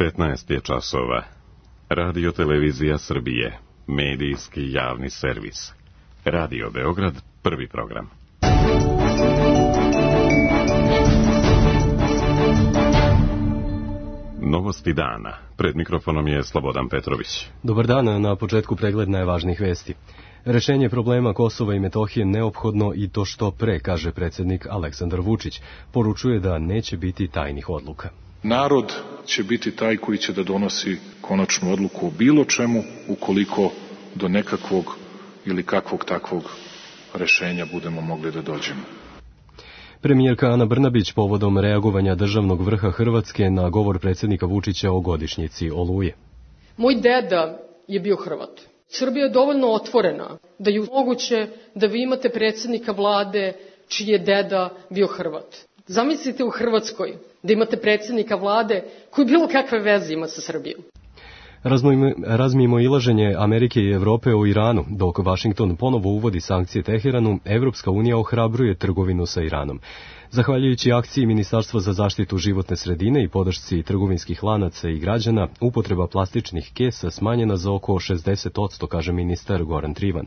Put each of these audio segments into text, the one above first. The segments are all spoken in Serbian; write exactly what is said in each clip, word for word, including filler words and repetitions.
petnaest je časova. Radio Televizija Srbije, medijski javni servis. Radio Beograd, prvi program. Novosti dana. Pred mikrofonom je Slobodan Petrović. Dobar dan, na početku pregled najvažnijih vesti. Rešenje problema Kosova i Metohije neophodno i to što pre, kaže predsjednik Aleksandar Vučić. Poručuje da neće biti tajnih odluka. Narod će biti taj koji će da donosi konačnu odluku o bilo čemu ukoliko do nekakvog ili kakvog takvog rešenja budemo mogli da dođemo. Premijerka Ana Brnabić povodom reagovanja državnog vrha Hrvatske na govor predsjednika Vučića o godišnjici Oluje. Moj deda je bio Hrvat. Srbija je dovoljno otvorena da je moguće da vi imate predsjednika vlade čiji je deda bio Hrvat. Zamislite u Hrvatskoj da imate predsjednika vlade koji bilo kakve veze ima sa Srbijom. Razmimo ilaženje Amerike i Evrope o Iranu, dok Vašington ponovo uvodi sankcije Teheranu, Evropska unija ohrabruje trgovinu sa Iranom. Zahvaljujući akciji Ministarstva za zaštitu životne sredine i podršci trgovinskih lanaca i građana, upotreba plastičnih kesa smanjena za oko šezdeset posto, kaže ministar Goran Trivan.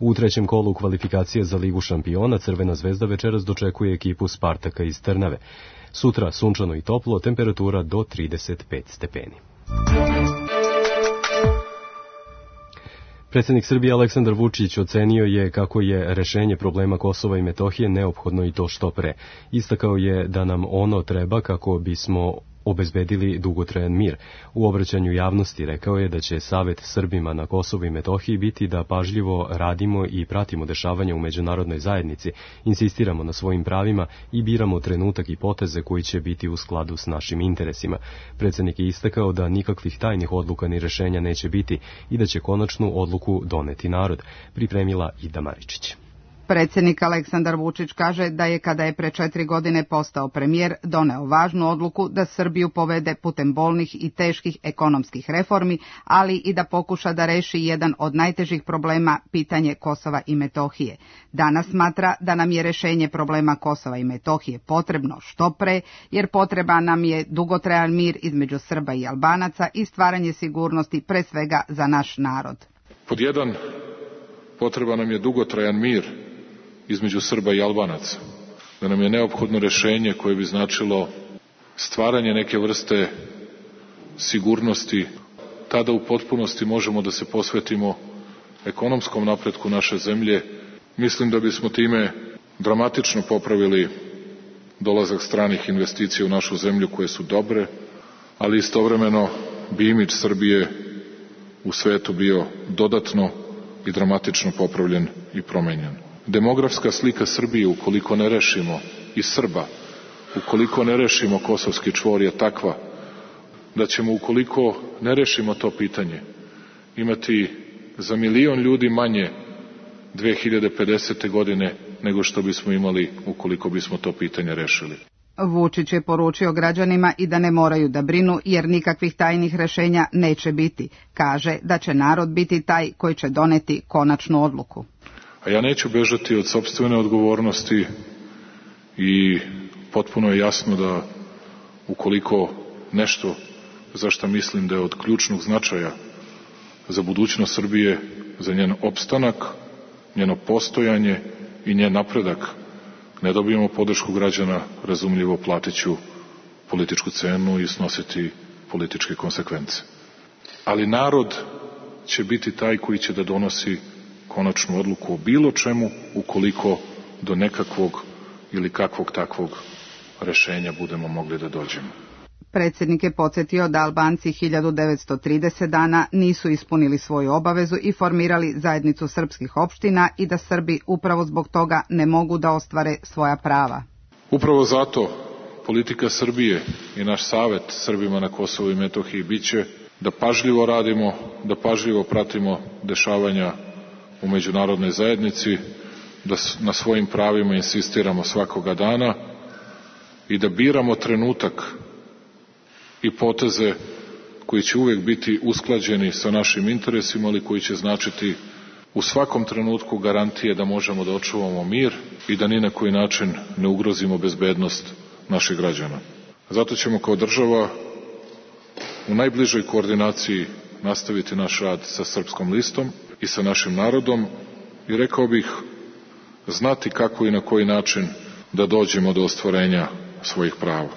U trećem kolu kvalifikacije za Ligu šampiona Crvena zvezda večeras dočekuje ekipu Spartaka iz Trnave. Sutra sunčano i toplo, temperatura do trideset pet stepeni. Predsjednik Srbije Aleksandar Vučić ocenio je kako je rešenje problema Kosova i Metohije neophodno i to što pre. Istakao je da nam ono treba kako bismo obezbedili dugotrajan mir. U obraćanju javnosti rekao je da će Savet Srbima na Kosovu i Metohiji biti da pažljivo radimo i pratimo dešavanja u međunarodnoj zajednici, insistiramo na svojim pravima i biramo trenutak i poteze koji će biti u skladu s našim interesima. Predsjednik je istakao da nikakvih tajnih odluka ni rešenja neće biti i da će konačnu odluku doneti narod, pripremila Ida Maričić. Predsjednik Aleksandar Vučić kaže da je kada je pre četiri godine postao premijer doneo važnu odluku da Srbiju povede putem bolnih i teških ekonomskih reformi, ali i da pokuša da reši jedan od najtežih problema, pitanje Kosova i Metohije. Danas smatra da nam je rešenje problema Kosova i Metohije potrebno što pre, jer potreba nam je dugotrajan mir između Srba i Albanaca i stvaranje sigurnosti pre svega za naš narod. Pod jedan, potreba nam je dugotrajan mir između Srba i Albanaca, da nam je neophodno rešenje koje bi značilo stvaranje neke vrste sigurnosti, tada u potpunosti možemo da se posvetimo ekonomskom napretku naše zemlje. Mislim da bismo time dramatično popravili dolazak stranih investicija u našu zemlju koje su dobre, ali istovremeno bi imidž Srbije u svetu bio dodatno i dramatično popravljen i promenjen. Demografska slika Srbije, ukoliko ne rešimo, i Srba, ukoliko ne rešimo kosovski čvor, je takva da ćemo, ukoliko ne rešimo to pitanje, imati za milion ljudi manje dve hiljade pedesete. godine nego što bismo imali ukoliko bismo to pitanje rešili. Vučić je poručio građanima i da ne moraju da brinu jer nikakvih tajnih rešenja neće biti. Kaže da će narod biti taj koji će doneti konačnu odluku. A ja neću bežati od sopstvene odgovornosti i potpuno je jasno da ukoliko nešto za što mislim da je od ključnog značaja za budućnost Srbije, za njen opstanak, njeno postojanje i njen napredak, ne dobijemo podršku građana, razumljivo platit ću političku cenu i snositi političke konsekvence. Ali narod će biti taj koji će da donosi konačnu odluku o bilo čemu ukoliko do nekakvog ili kakvog takvog rešenja budemo mogli da dođemo. Predsjednik je podsjetio da Albanci hiljadu devetsto trideset dana nisu ispunili svoju obavezu i formirali zajednicu srpskih opština i da Srbi upravo zbog toga ne mogu da ostvare svoja prava. Upravo zato politika Srbije i naš savet Srbima na Kosovu i Metohiji biće da pažljivo radimo, da pažljivo pratimo dešavanja u međunarodnoj zajednici, da na svojim pravima insistiramo svakoga dana i da biramo trenutak i poteze koji će uvijek biti usklađeni sa našim interesima, ali koji će značiti u svakom trenutku garantije da možemo da očuvamo mir i da ni na koji način ne ugrozimo bezbednost naših građana. Zato ćemo kao država u najbližoj koordinaciji nastaviti naš rad sa Srpskom listom i sa našim narodom i rekao bih znati kako i na koji način da dođemo do ostvarenja svojih prava.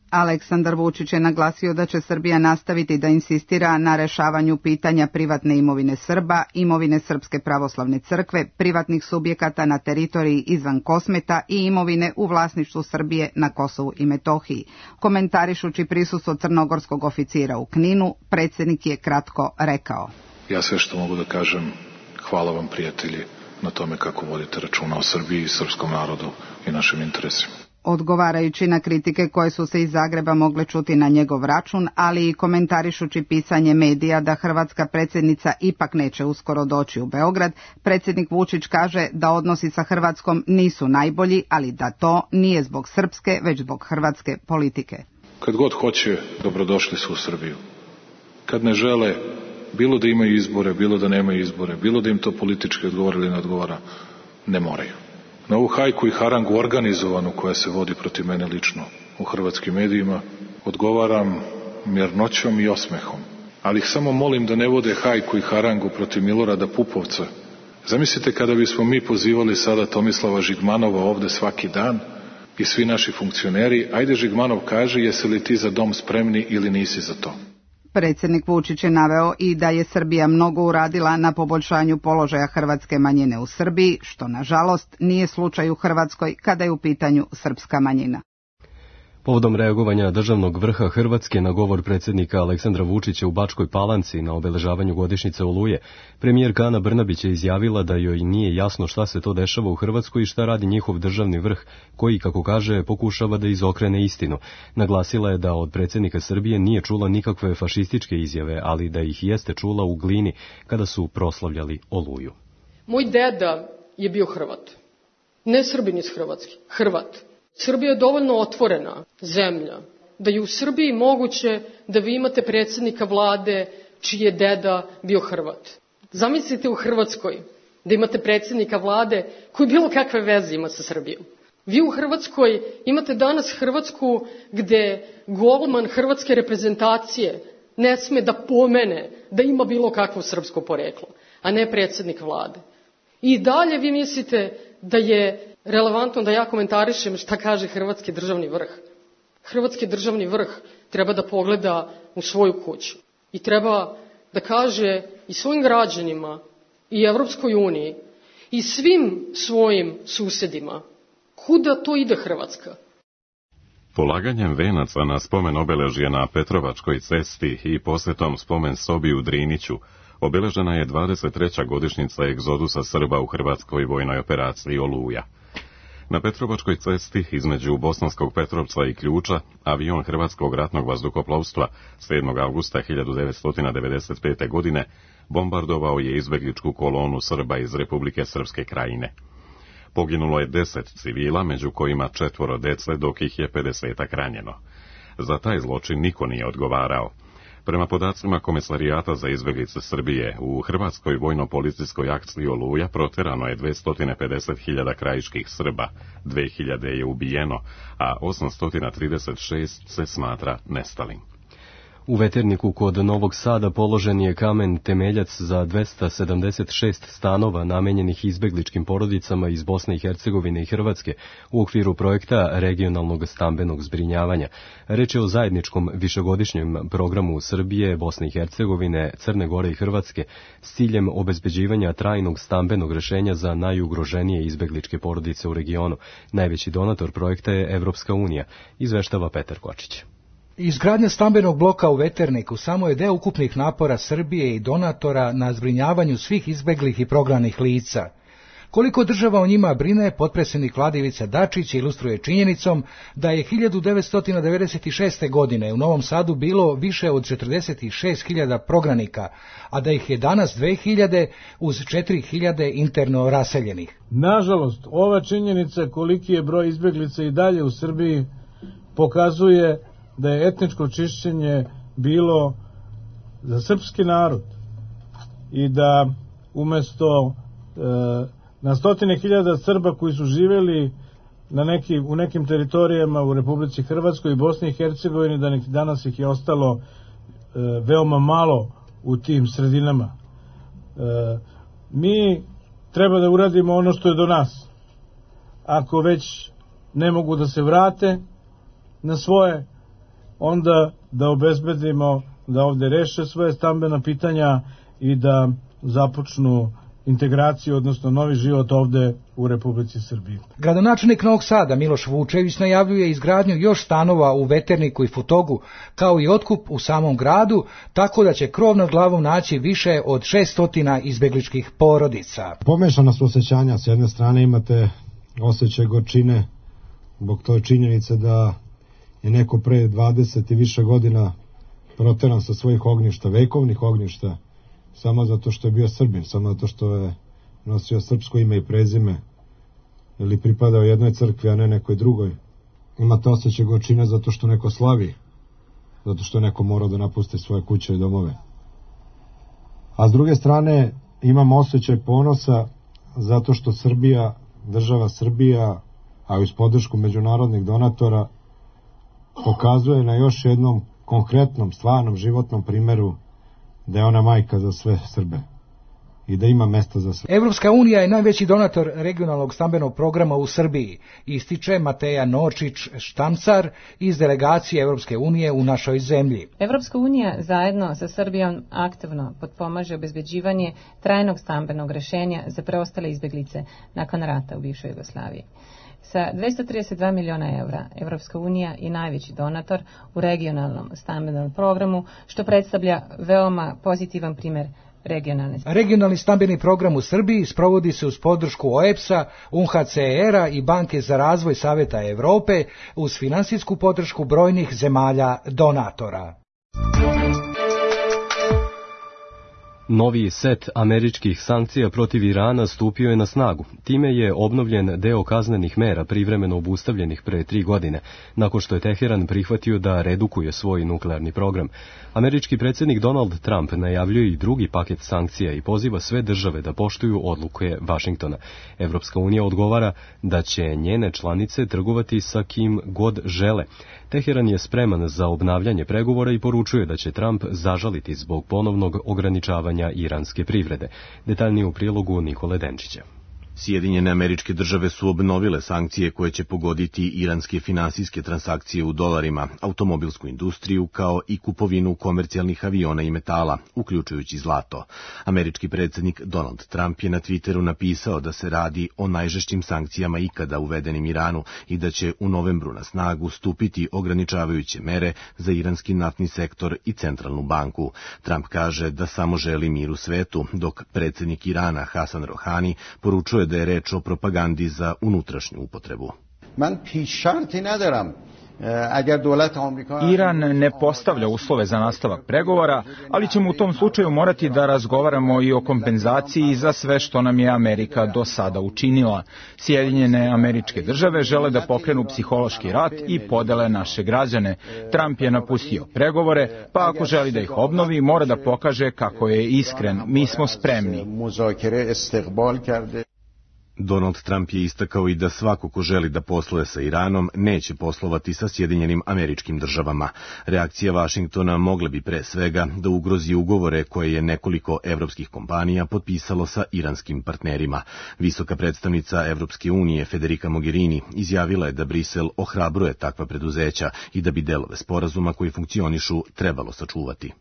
Aleksandar Vučić je naglasio da će Srbija nastaviti da insistira na rešavanju pitanja privatne imovine Srba, imovine Srpske pravoslavne crkve, privatnih subjekata na teritoriji izvan Kosmeta i imovine u vlasništvu Srbije na Kosovu i Metohiji. Komentarišući prisustvo crnogorskog oficira u Kninu, predsjednik je kratko rekao: Ja sve što mogu da kažem, hvala vam prijatelji na tome kako vodite računa o Srbiji i srpskom narodu i našim interesima. Odgovarajući na kritike koje su se iz Zagreba mogle čuti na njegov račun, ali i komentarišući pisanje medija da hrvatska predsjednica ipak neće uskoro doći u Beograd, predsjednik Vučić kaže da odnosi sa Hrvatskom nisu najbolji, ali da to nije zbog srpske, već zbog hrvatske politike. Kad god hoće, dobrodošli su u Srbiju. Kad ne žele, bilo da imaju izbore, bilo da nemaju izbore, bilo da im to politički odgovara ili ne odgovara, ne moraju. Na ovu hajku i harangu organizovanu koja se vodi protiv mene lično u hrvatskim medijima odgovaram mirnoćom i osmehom. Ali ih samo molim da ne vode hajku i harangu protiv Milorada Pupovca. Zamislite kada bismo mi pozivali sada Tomislava Žigmanova ovde svaki dan i svi naši funkcioneri, ajde Žigmanov kaže jesi li ti za dom spremni ili nisi za to. Predsjednik Vučić je naveo i da je Srbija mnogo uradila na poboljšanju položaja hrvatske manjine u Srbiji, što nažalost nije slučaj u Hrvatskoj kada je u pitanju srpska manjina. Povodom reagovanja državnog vrha Hrvatske na govor predsjednika Aleksandra Vučića u Bačkoj Palanci na obeležavanju godišnjice Oluje, premijerka Ana Brnabić je izjavila da joj nije jasno šta se to dešava u Hrvatskoj i šta radi njihov državni vrh, koji, kako kaže, pokušava da izokrene istinu. Naglasila je da od predsjednika Srbije nije čula nikakve fašističke izjave, ali da ih jeste čula u Glini kada su proslavljali Oluju. Moj deda je bio Hrvat. Ne Srbin iz Hrvatske, Hrvat. Srbija je dovoljno otvorena zemlja da je u Srbiji moguće da vi imate predsjednika vlade čiji je deda bio Hrvat. Zamislite u Hrvatskoj da imate predsjednika vlade koji bilo kakve veze ima sa Srbijom. Vi u Hrvatskoj imate danas Hrvatsku gde golman hrvatske reprezentacije ne sme da pomene da ima bilo kakvo srpsko poreklo, a ne predsjednik vlade. I dalje vi mislite da je relevantno da ja komentarišem šta kaže hrvatski državni vrh. Hrvatski državni vrh treba da pogleda u svoju kuću i treba da kaže i svojim građanima i Evropskoj uniji i svim svojim susedima kuda to ide Hrvatska. Polaganjem venaca na spomen obeležje na Petrovačkoj cesti i posjetom spomen sobi u Driniću obeležena je dvadeset treća godišnjica egzodusa Srba u hrvatskoj vojnoj operaciji Oluja. Na Petrovačkoj cesti između Bosanskog Petrovca i Ključa avion Hrvatskog ratnog vazduhoplovstva sedmog avgusta hiljadu devetsto devedeset pete. godine bombardovao je izbegličku kolonu Srba iz Republike Srpske Krajine. Poginulo je deset civila, među kojima četvoro dece, dok ih je pedesetak ranjeno. Za taj zločin niko nije odgovarao. Prema podacima Komesarijata za izbeglice Srbije, u hrvatskoj vojno-policijskoj akciji Oluja proterano je dvesta pedeset hiljada krajiških Srba, dve hiljade je ubijeno, a osamsto trideset šest se smatra nestalim. U Veterniku kod Novog Sada položen je kamen temeljac za dvesta sedamdeset šest stanova namenjenih izbegličkim porodicama iz Bosne i Hercegovine i Hrvatske u okviru projekta regionalnog stambenog zbrinjavanja. Reč je o zajedničkom višegodišnjem programu Srbije, Bosne i Hercegovine, Crne Gore i Hrvatske s ciljem obezbeđivanja trajnog stambenog rešenja za najugroženije izbegličke porodice u regionu. Najveći donator projekta je Evropska unija, izveštava Petar Kočić. Izgradnja stambenog bloka u Veterniku samo je deo ukupnih napora Srbije i donatora na zbrinjavanju svih izbeglih i prognanih lica. Koliko država o njima brine, potpredsjednik Vlade Ivica Dačić ilustruje činjenicom da je hiljadu devetsto devedeset šeste. godine u Novom Sadu bilo više od četrdeset šest hiljada prognanika, a da ih je danas dve hiljade uz četiri hiljade interno raseljenih. Nažalost, ova činjenica koliki je broj izbeglica i dalje u Srbiji pokazuje da je etničko čišćenje bilo za srpski narod i da umesto e, na stotine hiljada Srba koji su živjeli na neki, u nekim teritorijama u Republici Hrvatskoj i Bosni i Hercegovini, da nek, danas ih je ostalo veoma malo u tim sredinama. Mi treba da uradimo ono što je do nas. Ako već ne mogu da se vrate na svoje, onda da obezbedimo da ovde reše svoje stambena pitanja i da započnu integraciju, odnosno novi život ovde u Republici Srbiji. Gradonačelnik Novog Sada Miloš Vučević najavljuje izgradnju još stanova u Veterniku i Futogu, kao i otkup u samom gradu, tako da će krov nad glavom naći više od šeststotina izbegličkih porodica. Pomešana su osjećanja, s jedne strane imate osjećaj gorčine zbog toj činjenice da je neko pre dvadeset i više godina proteran sa svojih ognjišta, vekovnih ognjišta, samo zato što je bio Srbin, samo zato što je nosio srpsko ime i prezime ili pripadao jednoj crkvi, a ne nekoj drugoj. Imate osjećaj gorčine zato što neko slavi, zato što neko mora da napusti svoje kuće i domove. A s druge strane imam osjećaj ponosa zato što Srbija, država Srbija, a uz podršku međunarodnih donatora, pokazuje na još jednom konkretnom, stvarnom, životnom primeru da je ona majka za sve Srbe i da ima mesta za sve. Evropska unija je najveći donator regionalnog stambenog programa u Srbiji, ističe Mateja Nočić-Štamcar iz delegacije Evropske unije u našoj zemlji. Evropska unija zajedno sa Srbijom aktivno potpomaže obezbeđivanje trajnog stambenog rešenja za preostale izbeglice nakon rata u bivšoj Jugoslaviji. Sa dvesta trideset dva miliona evra, Evropska unija je najveći donator u regionalnom stambenom programu, što predstavlja veoma pozitivan primer regionalne. Regionalni stambeni program u Srbiji sprovodi se uz podršku O E B S-a, U N H C R-a i Banke za razvoj Saveta Evrope uz finansijsku podršku brojnih zemalja donatora. Novi set američkih sankcija protiv Irana stupio je na snagu. Time je obnovljen deo kaznenih mera privremeno obustavljenih pre tri godine, nakon što je Teheran prihvatio da redukuje svoj nuklearni program. Američki predsjednik Donald Trump najavljuje i drugi paket sankcija i poziva sve države da poštuju odluke Vašingtona. Evropska unija odgovara da će njene članice trgovati sa kim god žele. Teheran je spreman za obnavljanje pregovora i poručuje da će Trump zažaliti zbog ponovnog ograničavanja iranske privrede. Detaljnije u prilogu Nikole Denčića. Sjedinjene Američke Države su obnovile sankcije koje će pogoditi iranske finansijske transakcije u dolarima, automobilsku industriju kao i kupovinu komercijalnih aviona i metala, uključujući zlato. Američki predsjednik Donald Trump je na Twitteru napisao da se radi o najžešćim sankcijama ikada uvedenim Iranu i da će u novembru na snagu stupiti ograničavajuće mere za iranski naftni sektor i centralnu banku. Trump kaže da samo želi mir u svetu, dok predsjednik Irana Hasan Rohani poručuje da je reč o propagandi za unutrašnju upotrebu. Iran ne postavlja uslove za nastavak pregovora, ali ćemo u tom slučaju morati da razgovaramo i o kompenzaciji za sve što nam je Amerika do sada učinila. Sjedinjene Američke Države žele da pokrenu psihološki rat i podele naše građane. Trump je napustio pregovore, pa ako želi da ih obnovi, mora da pokaže kako je iskren. Mi smo spremni. Donald Trump je istakao i da svako ko želi da posluje sa Iranom neće poslovati sa Sjedinjenim Američkim Državama. Reakcija Vašingtona mogla bi pre svega da ugrozi ugovore koje je nekoliko evropskih kompanija potpisalo sa iranskim partnerima. Visoka predstavnica Evropske unije Federica Mogherini izjavila je da Brisel ohrabruje takva preduzeća i da bi delove sporazuma koji funkcionišu trebalo sačuvati.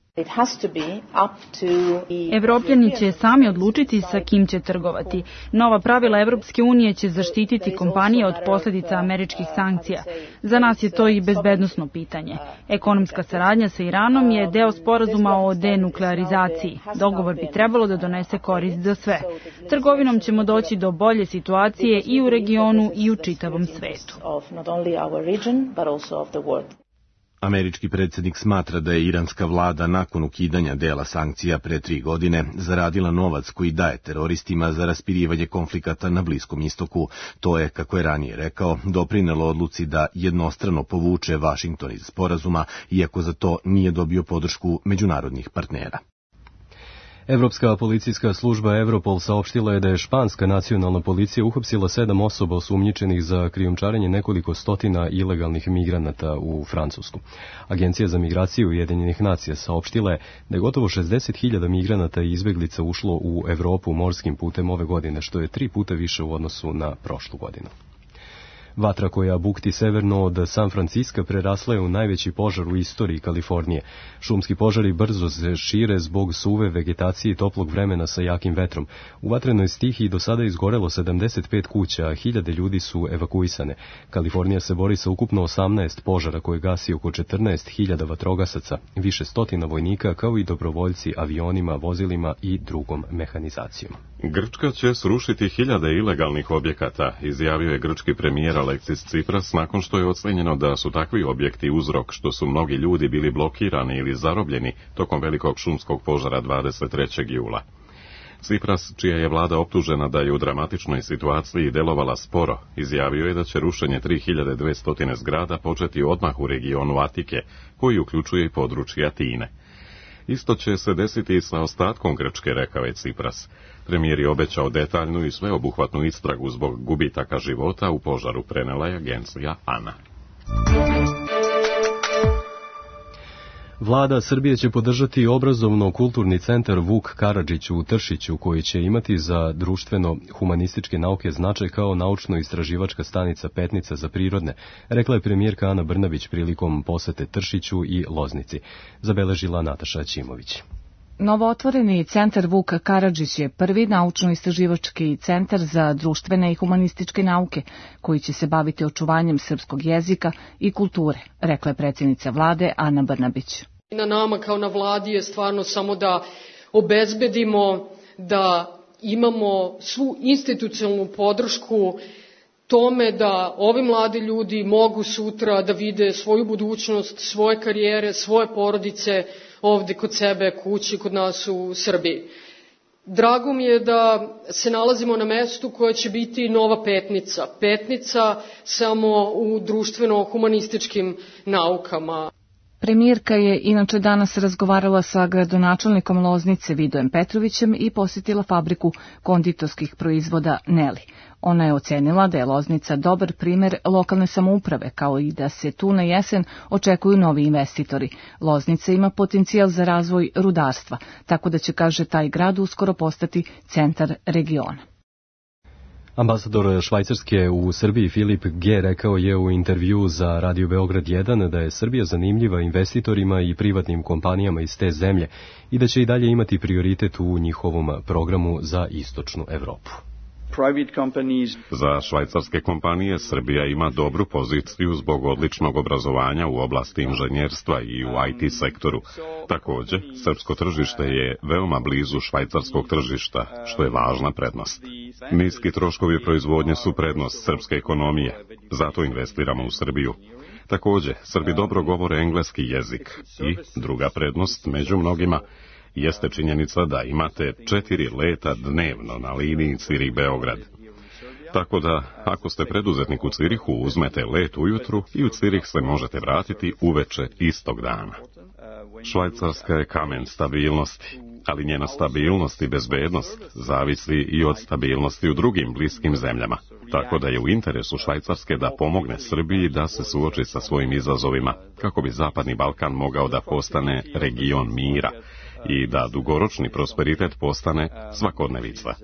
Evropljani će sami odlučiti sa kim će trgovati. Nova pravila Evropske unije će zaštititi kompanije od posljedica američkih sankcija. Za nas je to i bezbednosno pitanje. Ekonomska saradnja sa Iranom je deo sporazuma o denuklearizaciji. Dogovor bi trebalo da donese korist za sve. Trgovinom ćemo doći do bolje situacije i u regionu i u čitavom svetu. Američki predsjednik smatra da je iranska vlada nakon ukidanja dela sankcija pre tri godine zaradila novac koji daje teroristima za raspirivanje konflikata na Bliskom istoku. To je, kako je ranije rekao, doprinelo odluci da jednostrano povuče Vašington iz sporazuma, iako za to nije dobio podršku međunarodnih partnera. Evropska policijska služba Europol saopštila je da je španska nacionalna policija uhapsila sedam osoba osumnjičenih za krijumčarenje nekoliko stotina ilegalnih migranata u Francusku. Agencija za migraciju Ujedinjenih nacija saopštila je da je gotovo šezdeset hiljada migranata i izbeglica ušlo u Evropu morskim putem ove godine, što je tri puta više u odnosu na prošlu godinu. Vatra koja bukti severno od San Franciska prerasla je u najveći požar u istoriji Kalifornije. Šumski požari brzo se šire zbog suve vegetacije i toplog vremena sa jakim vetrom. U vatrenoj stihiji do sada izgorelo sedamdeset pet kuća, a hiljade ljudi su evakuisane. Kalifornija se bori sa ukupno osamnaest požara koje gasi oko četrnaest hiljada vatrogasaca, više stotina vojnika kao i dobrovoljci avionima, vozilima i drugom mehanizacijom. Grčka će srušiti hiljade ilegalnih objekata, izjavio je grčki premijer Aleksis Tsipras nakon što je ocenjeno da su takvi objekti uzrok što su mnogi ljudi bili blokirani ili zarobljeni tokom velikog šumskog požara dvadeset trećeg jula. Tsipras, čija je vlada optužena da je u dramatičnoj situaciji delovala sporo, izjavio je da će rušenje tri hiljade dvesta zgrada početi odmah u regionu Atike, koji uključuje i područje Atine. Isto će se desiti i sa ostatkom Grčke, rekao je Tsipras. Premijer je obećao detaljnu i sveobuhvatnu istragu zbog gubitaka života u požaru, prenela je agencija ANA. Vlada Srbije će podržati obrazovno-kulturni centar Vuk Karadžić u Tršiću, koji će imati za društveno-humanističke nauke značaj kao naučno-istraživačka stanica Petnica za prirodne, rekla je premijerka Ana Brnabić prilikom posete Tršiću i Loznici. Zabeležila Nataša Ćimović. Novootvoreni centar Vuk Karadžić je prvi naučno-istraživački centar za društvene i humanističke nauke, koji će se baviti očuvanjem srpskog jezika i kulture, rekla je predsjednica vlade Ana Brnabić. Na nama kao na vladi je stvarno samo da obezbedimo da imamo svu institucionalnu podršku tome da ovi mladi ljudi mogu sutra da vide svoju budućnost, svoje karijere, svoje porodice ovde kod sebe kući, kod nas u Srbiji. Drago mi je da se nalazimo na mestu koje će biti nova Petnica. Petnica samo u društveno-humanističkim naukama. Premijerka je inače danas razgovarala sa gradonačelnikom Loznice Vidojem Petrovićem i posjetila fabriku konditorskih proizvoda Neli. Ona je ocenila da je Loznica dobar primer lokalne samouprave, kao i da se tu na jesen očekuju novi investitori. Loznica ima potencijal za razvoj rudarstva, tako da će, kaže, taj grad uskoro postati centar regiona. Ambasador Švajcarske u Srbiji Filip G. rekao je u intervju za Radio Beograd jedan da je Srbija zanimljiva investitorima i privatnim kompanijama iz te zemlje i da će i dalje imati prioritet u njihovom programu za istočnu Evropu. Za švajcarske kompanije Srbija ima dobru poziciju zbog odličnog obrazovanja u oblasti inženjerstva i u I T sektoru. Također, srpsko tržište je veoma blizu švajcarskog tržišta, što je važna prednost. Niski troškovi proizvodnje su prednost srpske ekonomije, zato investiramo u Srbiju. Također, Srbi dobro govore engleski jezik i, druga prednost među mnogima, jeste činjenica da imate četiri leta dnevno na liniji Cirih-Beograd. Tako da, ako ste preduzetnik u Cirihu, uzmete let ujutru i u Cirih se možete vratiti uveče istog dana. Švajcarska je kamen stabilnosti, ali njena stabilnost i bezbednost zavisi i od stabilnosti u drugim bliskim zemljama. Tako da je u interesu Švajcarske da pomogne Srbiji da se suoči sa svojim izazovima, kako bi Zapadni Balkan mogao da postane region mira i da dugoročni prosperitet postane svakodnevica.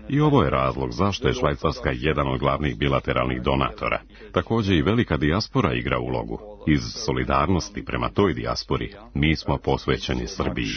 I ovo je razlog zašto je Švajcarska jedan od glavnih bilateralnih donatora. Također i velika dijaspora igra ulogu. Iz solidarnosti prema toj dijaspori mi smo posvećeni Srbiji.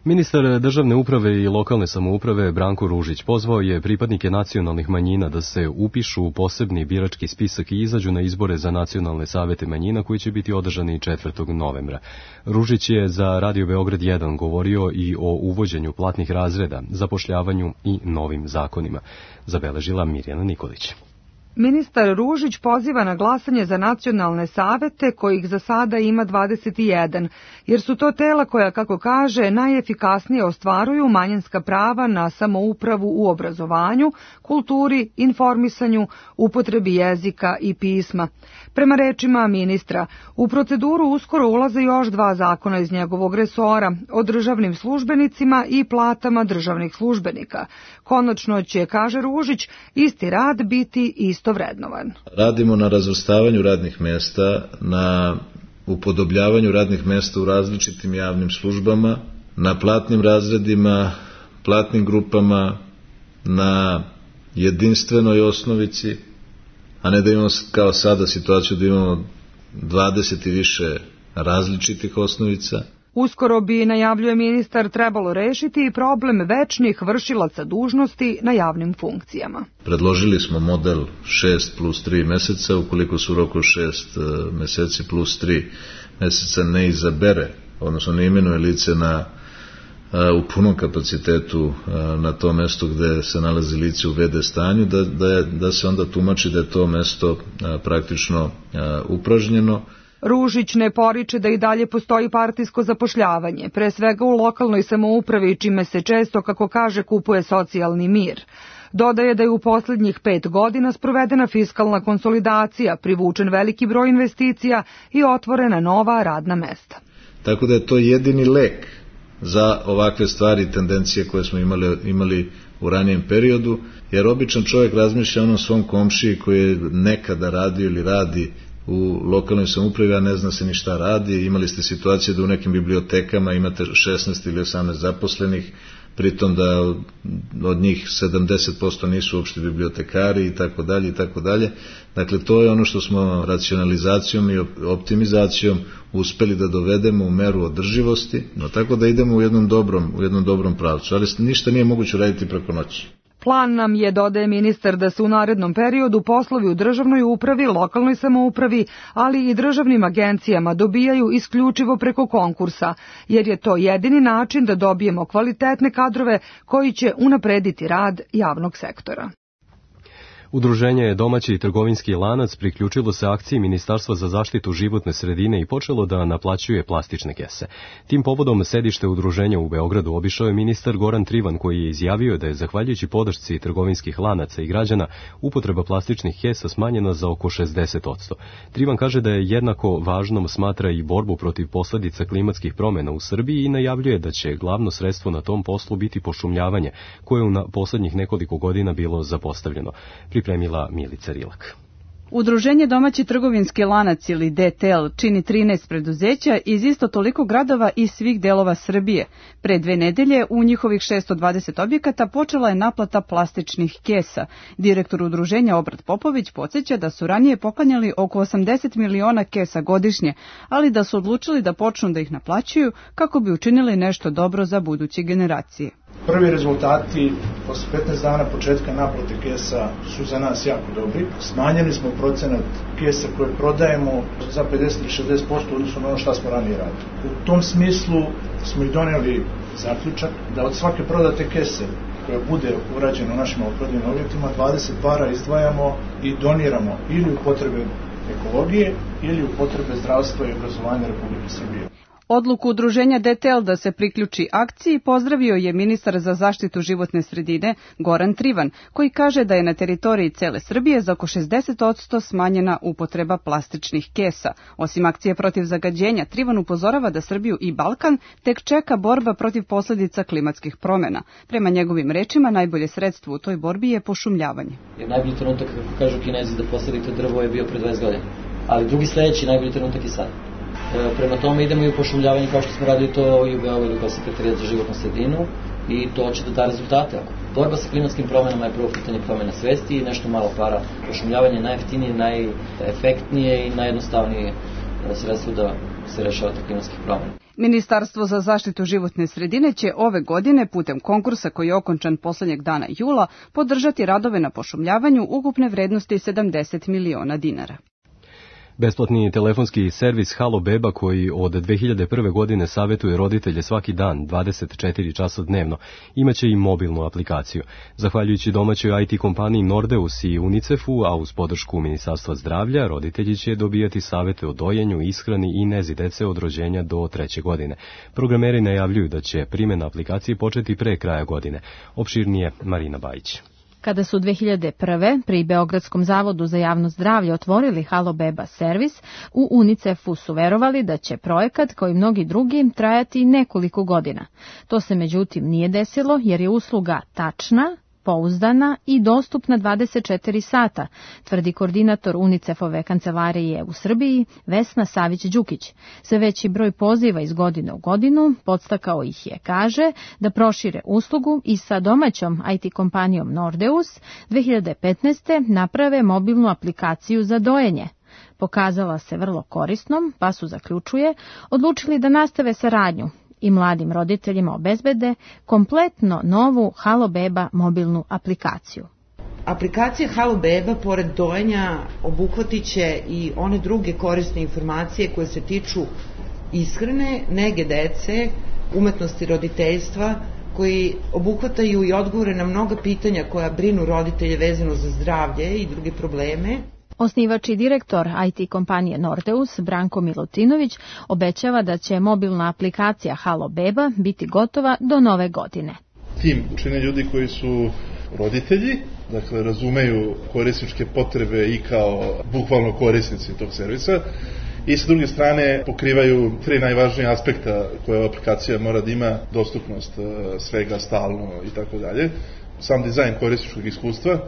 Ministar državne uprave i lokalne samouprave Branko Ružić pozvao je pripadnike nacionalnih manjina da se upišu u posebni birački spisak i izađu na izbore za nacionalne savete manjina koji će biti održani četvrtog novembra. Ružić je za Radio Beograd jedan govorio i o uvođenju platnih razreda, zapošljavanju i novim zakonima, zabeležila Mirjana Nikolić. Ministar Ružić poziva na glasanje za nacionalne savete, kojih za sada ima dvadeset jedan, jer su to tela koja, kako kaže, najefikasnije ostvaruju manjinska prava na samoupravu u obrazovanju, kulturi, informisanju, upotrebi jezika i pisma. Prema rečima ministra, u proceduru uskoro ulaze još dva zakona iz njegovog resora, o državnim službenicima i platama državnih službenika. Konačno će, kaže Ružić, isti rad biti isto vrednovan. Radimo na razvrstavanju radnih mesta, na upodobljavanju radnih mesta u različitim javnim službama, na platnim razredima, platnim grupama, na jedinstvenoj osnovici, a ne da imamo kao sada situaciju da imamo dvadeset i više različitih osnovica. Uskoro bi, najavljuje ministar, trebalo rešiti i problem večnih vršilaca dužnosti na javnim funkcijama. Predložili smo model šest plus tri meseca, ukoliko su u roku šest meseci plus tri meseca ne izabere, odnosno ne imenuje lice na, u punom kapacitetu na to mesto gde se nalazi lice u ve de stanju, da, da, je, da se onda tumači da je to mesto praktično upražnjeno. Ružić ne poriče da i dalje postoji partijsko zapošljavanje, pre svega u lokalnoj samoupravi, čime se često, kako kaže, kupuje socijalni mir. Dodaje da je u poslednjih pet godina sprovedena fiskalna konsolidacija, privučen veliki broj investicija i otvorena nova radna mesta. Tako da je to jedini lek za ovakve stvari i tendencije koje smo imali, imali u ranijem periodu, jer običan čovjek razmišlja o onom svom komšiji koji je nekada radio ili radi u lokalnoj samoupravi, a ne zna se ni šta radi. Imali ste situacije da u nekim bibliotekama imate šesnaest ili osamnaest zaposlenih, pritom da od njih sedamdeset posto nisu uopšte bibliotekari i tako dalje i tako dalje. Dakle, to je ono što smo racionalizacijom i optimizacijom uspeli da dovedemo u meru održivosti, no tako da idemo u jednom dobrom, u jednom dobrom pravcu, ali ništa nije moguće raditi preko noći. Plan nam je, dodaje ministar, da se u narednom periodu poslovi u državnoj upravi, lokalnoj samoupravi, ali i državnim agencijama dobijaju isključivo preko konkursa, jer je to jedini način da dobijemo kvalitetne kadrove koji će unaprediti rad javnog sektora. Udruženje Domaći trgovinski lanac priključilo se akciji Ministarstva za zaštitu životne sredine i počelo da naplaćuje plastične kese. Tim povodom sedište udruženja u Beogradu obišao je ministar Goran Trivan, koji je izjavio da je, zahvaljujući podršci trgovinskih lanaca i građana, upotreba plastičnih kesa smanjena za oko šezdeset posto. Trivan kaže da je jednako važnom smatra i borbu protiv posledica klimatskih promjena u Srbiji i najavljuje da će glavno sredstvo na tom poslu biti pošumljavanje, koje je u poslednjih nekoliko godina bilo zapostavljeno. Pripremila Milica Rilak. Udruženje Domaći trgovinski lanac ili D T L čini trinaest preduzeća iz isto toliko gradova i svih delova Srbije. Pre dve nedelje u njihovih šesto dvadeset objekata počela je naplata plastičnih kesa. Direktor udruženja Obrat Popović podsjeća da su ranije poklanjali oko osamdeset miliona kesa godišnje, ali da su odlučili da počnu da ih naplaćuju kako bi učinili nešto dobro za buduće generacije. Prvi rezultati posle petnaest dana početka naplate kesa su za nas jako dobri. Smanjili smo procenat kesa koje prodajemo za pedeset do šezdeset posto odnosno na ono što smo ranije radili. U tom smislu smo i doneli zaključak da od svake prodate kese koja bude urađena u našim maloprodajnim objektima dvadeset para izdvajamo i doniramo ili u potrebe ekologije ili u potrebe zdravstva i obrazovanja Republike Srbije. Odluku udruženja D T L da se priključi akciji pozdravio je ministar za zaštitu životne sredine Goran Trivan, koji kaže da je na teritoriji cele Srbije za oko šezdeset posto smanjena upotreba plastičnih kesa. Osim akcije protiv zagađenja, Trivan upozorava da Srbiju i Balkan tek čeka borba protiv posledica klimatskih promjena. Prema njegovim rečima, najbolje sredstvo u toj borbi je pošumljavanje. Jer najbolji trenutak, kako kažu Kinezi, da posadite drvo je bio pre dvadeset godina. Ali drugi sledeći najbolji trenutak je sad. Prema tome idemo i u pošumljavanje kao što smo radili to i u Beogradu kao Sekretarijat za životnu sredinu i to će da da rezultate. Borba sa klimatskim promjenama je prvo pitanje promjena svesti i nešto malo para. Pošumljavanje je najjeftinije, najefektnije i najjednostavnije sredstvo da se rešava ta klimatskih promjena. Ministarstvo za zaštitu životne sredine će ove godine putem konkursa koji je okončan poslednjeg dana jula podržati radove na pošumljavanju ukupne vrednosti sedamdeset miliona dinara. Besplatni telefonski servis Halo Beba, koji od dve hiljade prve. godine savjetuje roditelje svaki dan, dvadeset četiri časa dnevno, imaće i mobilnu aplikaciju. Zahvaljujući domaćoj I T kompaniji Nordeus i UNICEF-u, a uz podršku Ministarstva zdravlja, roditelji će dobijati savjete o dojenju, ishrani i nezi dece od rođenja do treće godine. Programeri najavljuju da će primjena aplikacije početi pre kraja godine. Opširnije Marina Bajić. Kada su dve hiljade prve. pri Beogradskom zavodu za javno zdravlje otvorili Halo Beba servis, u UNICEF-u su verovali da će projekat, kao i mnogi drugi, trajati nekoliko godina. To se međutim nije desilo jer je usluga tačna, pouzdana i dostupna dvadeset četiri sata, tvrdi koordinator UNICEF-ove kancelarije u Srbiji Vesna Savić-Đukić. Sve veći broj poziva iz godine u godinu podstakao ih je, kaže, da prošire uslugu i sa domaćom I T kompanijom Nordeus dve hiljade petnaeste. naprave mobilnu aplikaciju za dojenje. Pokazala se vrlo korisnom, pa su, zaključuje, odlučili da nastave saradnju i mladim roditeljima obezbede kompletno novu Halo Beba mobilnu aplikaciju. Aplikacija Halo Beba, pored dojenja, obuhvatit će i one druge korisne informacije koje se tiču ishrane, nege dece, umetnosti roditeljstva, koji obuhvataju i odgovore na mnoga pitanja koja brinu roditelje vezano za zdravlje i druge probleme. Osnivač i direktor I T kompanije Nordeus, Branko Milutinović, obećava da će mobilna aplikacija Halo Beba biti gotova do nove godine. Tim čine ljudi koji su roditelji, dakle razumeju korisničke potrebe i kao bukvalno korisnici tog servisa, i sa druge strane pokrivaju tri najvažnije aspekta koje aplikacija mora da ima: dostupnost svega, stalno i tako dalje, sam dizajn korisničkog iskustva,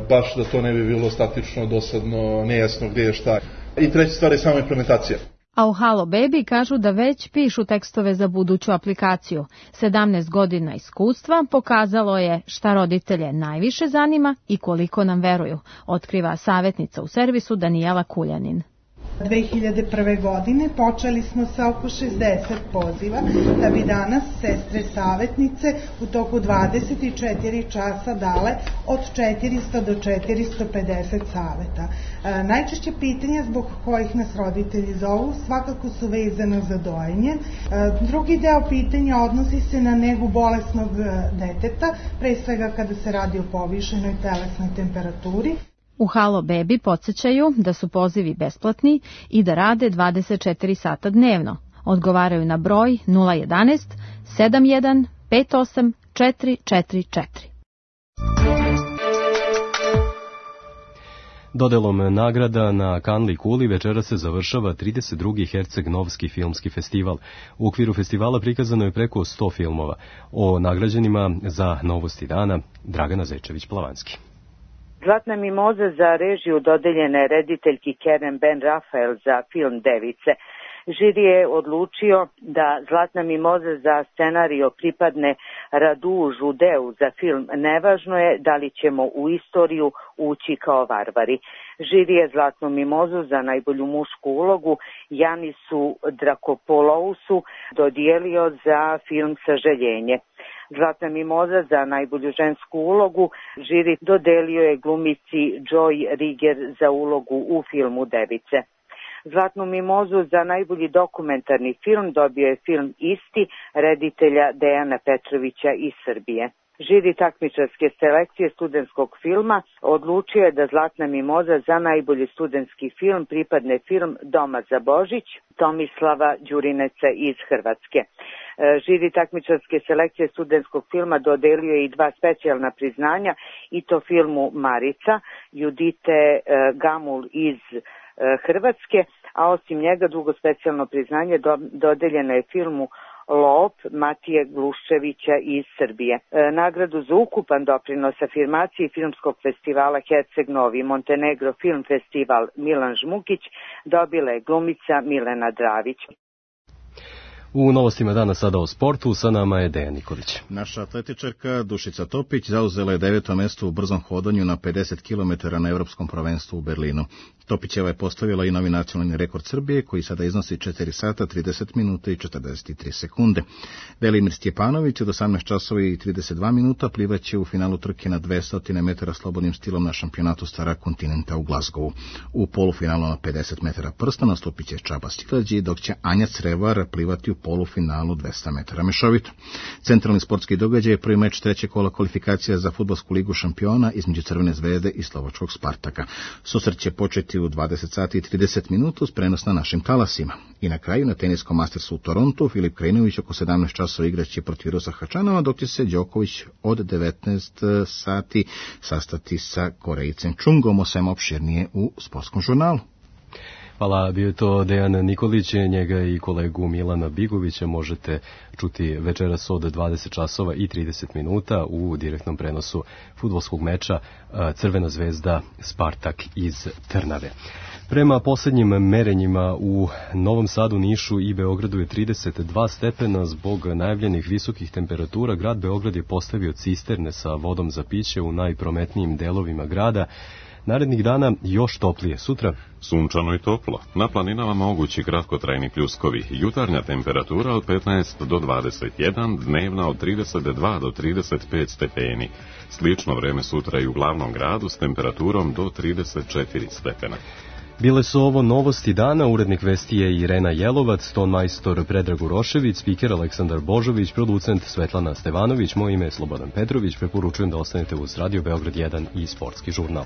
baš da to ne bi bilo statično, dosadno, nejasno gdje je šta. I treća stvar je samo implementacija. A u Halo Baby kažu da već pišu tekstove za buduću aplikaciju. sedamnaest godina iskustva pokazalo je šta roditelje najviše zanima i koliko nam veruju, otkriva savjetnica u servisu Danijela Kuljanin. dve hiljade prve. godine počeli smo sa oko šezdeset poziva, da bi danas sestre savjetnice u toku dvadeset četiri časa dale od četiristo do četiristo pedeset saveta. E, najčešće pitanja zbog kojih nas roditelji zovu svakako su vezano za dojenje. E, drugi deo pitanja odnosi se na negu bolesnog deteta, pre svega kada se radi o povišenoj telesnoj temperaturi. U Halo Baby podsjećaju da su pozivi besplatni i da rade dvadeset četiri sata dnevno. Odgovaraju na broj nula jedanaest sedam jedan pet osam četiri četiri četiri. Dodelom nagrada na Kanli kuli večera se završava trideset drugi Herceg-Novski filmski festival. U okviru festivala prikazano je preko sto filmova. O nagrađenima za Novosti dana Dragana Zečević-Plavanski. Zlatna mimoza za režiju dodeljena je rediteljki Keren Ben Rafael za film Device. Žiri je odlučio da Zlatna mimoza za scenario pripadne Radu Žudeu za film Nevažno je da li ćemo u istoriju ući kao varvari. Žiri je Zlatnu mimozu za najbolju mušku ulogu Janisu Drakopolousu dodijelio za film Sažaljenje. Zlatna mimoza za najbolju žensku ulogu žiri dodelio je glumici Joy Riger za ulogu u filmu Device. Zlatnu mimozu za najbolji dokumentarni film dobio je film Isti reditelja Dejana Petrovića iz Srbije. Žiri takmičarske selekcije studentskog filma odlučio je da Zlatna mimoza za najbolji studentski film pripadne film Doma za Božić Tomislava Đurineca iz Hrvatske. Žiri takmičarske selekcije studentskog filma dodelio je i dva specijalna priznanja, i to filmu Marica Judite Gamul iz Hrvatske, a osim njega drugo specijalno priznanje dodeljeno je filmu Lop Matije Gluščevića iz Srbije. E, nagradu za ukupan doprinos afirmaciji filmskog festivala Herceg Novi Montenegro Film Festival Milan Žmukić dobila je glumica Milena Dravić. U novostima dana sada o sportu, sa nama je Dejan Nikolić. Naša atletičarka Dušica Topić zauzela je deveto mesto u brzom hodanju na pedeset kilometara na Evropskom prvenstvu u Berlinu. Topićeva je postavila i novi nacionalni rekord Srbije, koji sada iznosi četiri sata, trideset minuta i četrdeset tri sekunde. Velimir Stjepanović od osamnaest časova i trideset dva minuta plivaće u finalu trke na dvesta metara slobodnim stilom na šampionatu Stara kontinenta u Glazgovu. U polufinalu na pedeset metara prsta nastupit će Čaba Stilađi, dok će Anja Crevar plivati u polufinalu dvesta metara mešovito. Centralni sportski događaj je prvi meč trećeg kola kvalifikacija za fudbalsku ligu šampiona između Crvene zvezde i Slovačkog Spartaka. Susret će početi u dvadeset sati i trideset minuta uz prenos na našim talasima. I na kraju na teniskom Mastersu u Torontu Filip Krajinović oko sedamnaest časova igraće protiv Virosa Hačanova, dok će se Đoković od devetnaest sati sastati sa Korejcem Čungom, o svemu opširnije u sportskom žurnalu. Hvala, bio je to Dejan Nikolić, njega i kolegu Milana Bigovića možete čuti večeras od dvadeset časova i trideset minuta u direktnom prenosu fudbalskog meča Crvena zvezda Spartak iz Trnave. Prema poslednjim merenjima u Novom Sadu, Nišu i Beogradu je trideset dva stepena. Zbog najavljenih visokih temperatura grad Beograd je postavio cisterne sa vodom za piće u najprometnijim delovima grada. Narednih dana još toplije. Sutra sunčano i toplo. Na planinama mogući kratkotrajni pljuskovi. Jutarnja temperatura od petnaest do dvadeset jedan, dnevna od trideset dva do trideset pet stepeni. Slično vreme sutra i u glavnom gradu s temperaturom do trideset četiri stepena. Bile su ovo novosti dana, urednik vesti je Irena Jelovac, ton majstor Predrag Urošević, spiker Aleksandar Božović, producent Svetlana Stevanović, moje ime je Slobodan Petrović, preporučujem da ostanete uz Radio Beograd jedan i sportski žurnal.